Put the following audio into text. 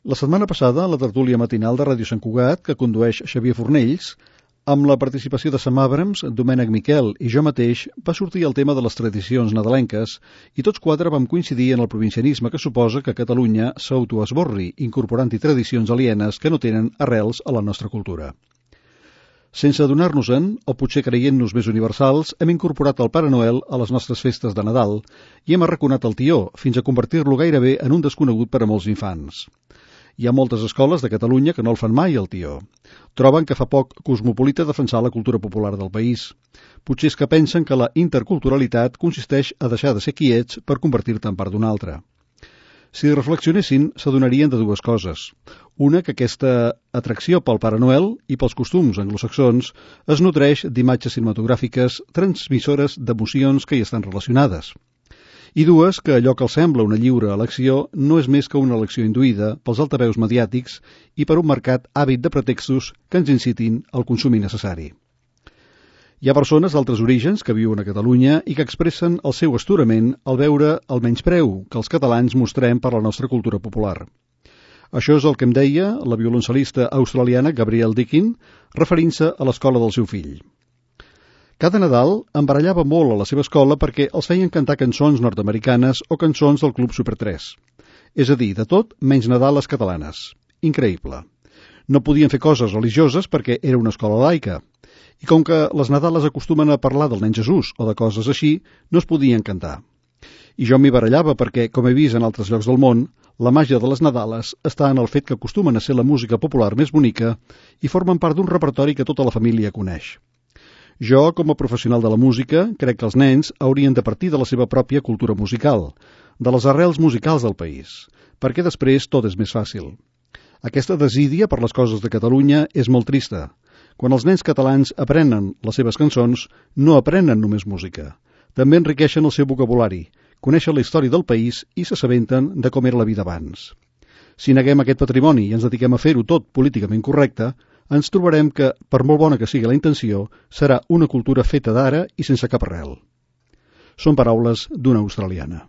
La setmana passada, la tertúlia matinal de Ràdio Sant Cugat, que condueix Xavier Fornells, amb la participació de Sam Abrams, Domènec Miquel i jo mateix, va sortir el tema de les tradicions nadalenques i tots quatre vam coincidir en el provincianisme que suposa que Catalunya s'autoesborri, incorporant-hi tradicions alienes que no tenen arrels a la nostra cultura. Sense adonar-nos-en, o potser creient-nos més universals, hem incorporat el Pare Noel a les nostres festes de Nadal i hem arraconat el tió, fins a convertir-lo gairebé en un desconegut per a molts infants. Hi ha moltes escoles de Catalunya que no el fan mai, el tió. Troben que fa poc cosmopolita defensar la cultura popular del país. Potser és que pensen que la interculturalitat consisteix a deixar de ser quiets per convertir-te en part d'un altre. Si reflexionessin, s'adonarien de dues coses. Una, que aquesta atracció pel Pare Noel i pels costums anglosaxons es nodreix d'imatges cinematogràfiques transmissores d'emocions que hi estan relacionades. I dues, que allò que els sembla una lliure elecció no és més que una elecció induïda pels altaveus mediàtics i per un marcat hàbit de pretextos que ens incitin al consum innecessari. Hi ha persones d'altres orígens que viuen a Catalunya i que expressen el seu astorament al veure el menyspreu que els catalans mostrem per la nostra cultura popular. Això és el que em deia la violoncel·lista australiana Gabrielle Deakin, referint-se a l'escola del seu fill. Cada Nadal em barallava molt a la seva escola perquè els feien cantar cançons nord-americanes o cançons del Club Super 3. És a dir, de tot menys Nadales catalanes. Increïble. No podien fer coses religioses perquè era una escola laica. I com que les Nadales acostumen a parlar del nen Jesús o de coses així, no es podien cantar. I jo m'hi barallava perquè, com he vist en altres llocs del món, la màgia de les Nadales està en el fet que acostumen a ser la música popular més bonica i formen part d'un repertori que tota la família coneix. Jo, com a professional de la música, crec que els nens haurien de partir de la seva pròpia cultura musical, de les arrels musicals del país, perquè després tot és més fàcil. Aquesta desídia per les coses de Catalunya és molt trista. Quan els nens catalans aprenen les seves cançons, no aprenen només música. També enriqueixen el seu vocabulari, coneixen la història del país i s'assabenten de com era la vida abans. Si neguem aquest patrimoni i ens dediquem a fer-ho tot políticament correcte, ens trobarem que, per molt bona que sigui la intenció, serà una cultura feta d'ara i sense cap arrel. Són paraules d'una australiana.